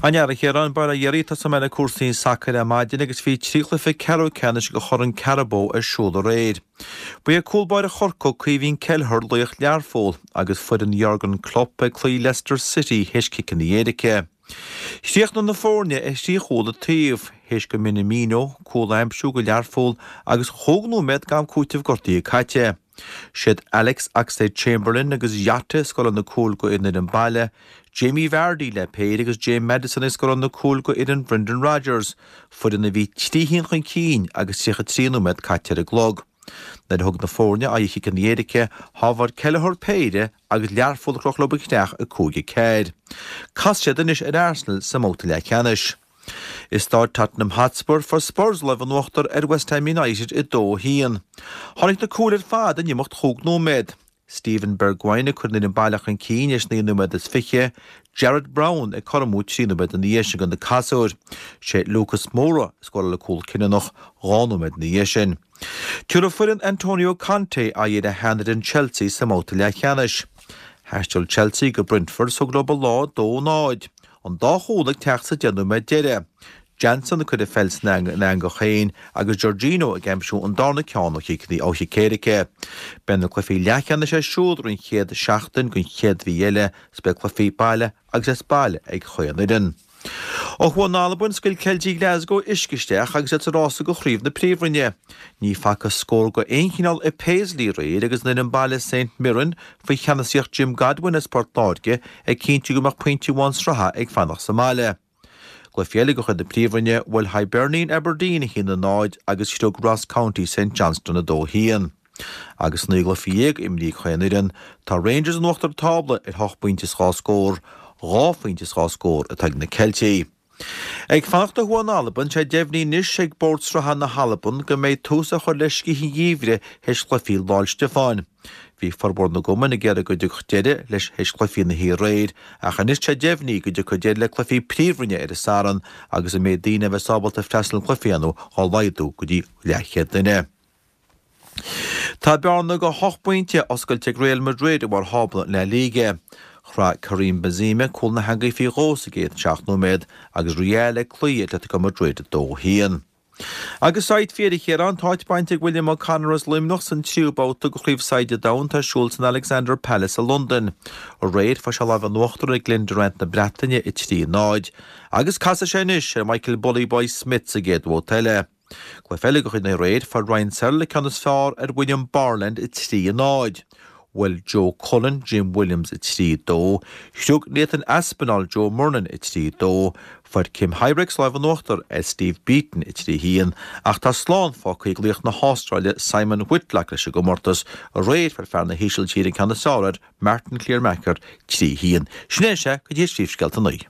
An fhear a Chiaráin, Bail ó Dhia oraibh, tosóidh mé le cúrsaí sacair ar maidin agus bhí 3 chluiche ceathrú ceannais de Chorn Carabao ar siúl aréir. Ba é cúl báire Chorcaí, Caoimhín Kelleher, laoch Learpholl agus foireann Jurgen Klopp ag cloí Leicester City théis ciceanna éirice. Chríochnaigh na foirne ar thrí chúl an taobh, théis do Minamino cúl a aimsiú do Learpholl agus chúig nóiméad d'am cúitimh gortaithe caite. Siad Alex Oxlade-Chamberlain agus Jota a scóráil na cúil go an fhoireann baile, Jamie Vardy le péire agus James Maddison ag scóráil na cúil go fhoireann Brendan Rodgers, foireann a bhí 3 haon chun cinn agus 33 nóiméad caite ar an gclog. Nuair a thug na foirne aghaidh ar chiceanna éirice, shábháil Kelleher péire agus Learpholl a chroch leo an chreach 5 4. Casfaidh siad anois ar Arsenal sa mbabhta leathcheannais. I Stáid Tottenham Hotspur, fuair Spurs lámh in uachtar ar West Ham United 2-1. Tháinig na cúil ar fad in imeacht chúig nóiméad. Steven Bergwijn ag cur an fhoireann baile chun cinn théis 9 nóiméad is 20, Jarrod Brown ag cothromú 3 nóiméad ina dhiaidh sin do na casúir. Sé Lucas Moura a scóráil an cúl cinniúnach 2 nóiméad ina dhiaidh sin. Tabharfaidh foireann Antonio Conte aghaidh ar a sheanfhoireann Chelsea sa mbabhta leathcheannais. Thaistil Chelsea go Brentford is thug leo an lá 2-0. An dá chúl ag teacht sa deich nóiméad deiridh. Johnson ag cur an pheil san eangach féin agus Jorginho ag aimsiú an darna ceann ó chic éirice. Beidh na cluichí leathcheannais ar siúl ar an chéad seachtain den chéad mhí eile is beidh cluichí baile agus as baile ag chaon fhoireann. Ó thuaidh in Albain, scaoil Ceiltigh Glasgow uisce isteach agus iad sa rása do chraobh na Príomhroinne. Ní facthas scór de aon chineál i Paisley aréir agus an fhoireann baile St Mirren faoi cheannasaíocht Jim Godwin as Port Láirge ag cinntiú go mbeadh pointe amháin sraithe ag fanacht sa mbaile. I gcluiche eile de chuid na Príomhroinne, bhuail Hibernian Aberdeen 1-0 agus shroich Ross County St Johnstone 2-1. Agus 19 gcluiche imrithe ag chaon fhoireann, tá Rangers in uachtar tábla ar hocht bpointe is dhá scór, dhá phointe is dhá scór atá ag na Ceiltigh. Ag fanacht ó thuaidh in Albain, tá sé deimhnithe anois ag Bord Sraithe na hAlban go mbeidh tús á chur le scíth an gheimhridh théis chluichí Lá'l Stiofáin. Bhí formhór na gcumann ag iarraidh go dtiocfadh deireadh leis théis chluichí na hoíche aréir ach anois tá sé deimhnithe go dtiocfaidh deireadh le cluichí Príomhroinne ar an Satharn agus an méid daoine a bheas ábalta freastal ar chluichí ann á laghdú go dtí leathchéad duine. Tá bearna de hocht bpointe oscailte ag Real Madrid i mbarr thábla La Liga. Chroith Karim Benzema cúl na heangaí faoi dhó sa gcéad seacht nóiméad agus Real ag cloí Atletico Madrid 2-1. Agus said faoi dheireadh a Chiaráin, tá áit bainte ag William O'Connor as Luimneach san tríú babhta de Chraobh Saighde an Domhain atá ar siúl san Alexandra Palace i Londain. Aréir fuair sé lámh in uachtar ar Glen Durrant na Breataine 3-0 agus casfaidh sé anois ar Michael Bully Boy Smith sa gcéad bhabhta eile. Cluiche eile de chuid na aréir, fuair Ryan Searle an ceann is fearr ar William Borland 3-0. Bhuail Joe Cullen Jim Williams 3 2. Shroich Nathan Aspinall Joe Murnan 3 2. Fuair Kim Huybrechts lámh in uachtar ar Steve Beaton 3 1 ach tá slán fágtha ag laoch na hAstráile Simon Whitlock leis an gcomórtas. Aréir fuair fear na hÍsiltíre an ceann is fearr ar Martin Kleermaker 3 1. Sin é sea go dtí an príomhscéalta 9.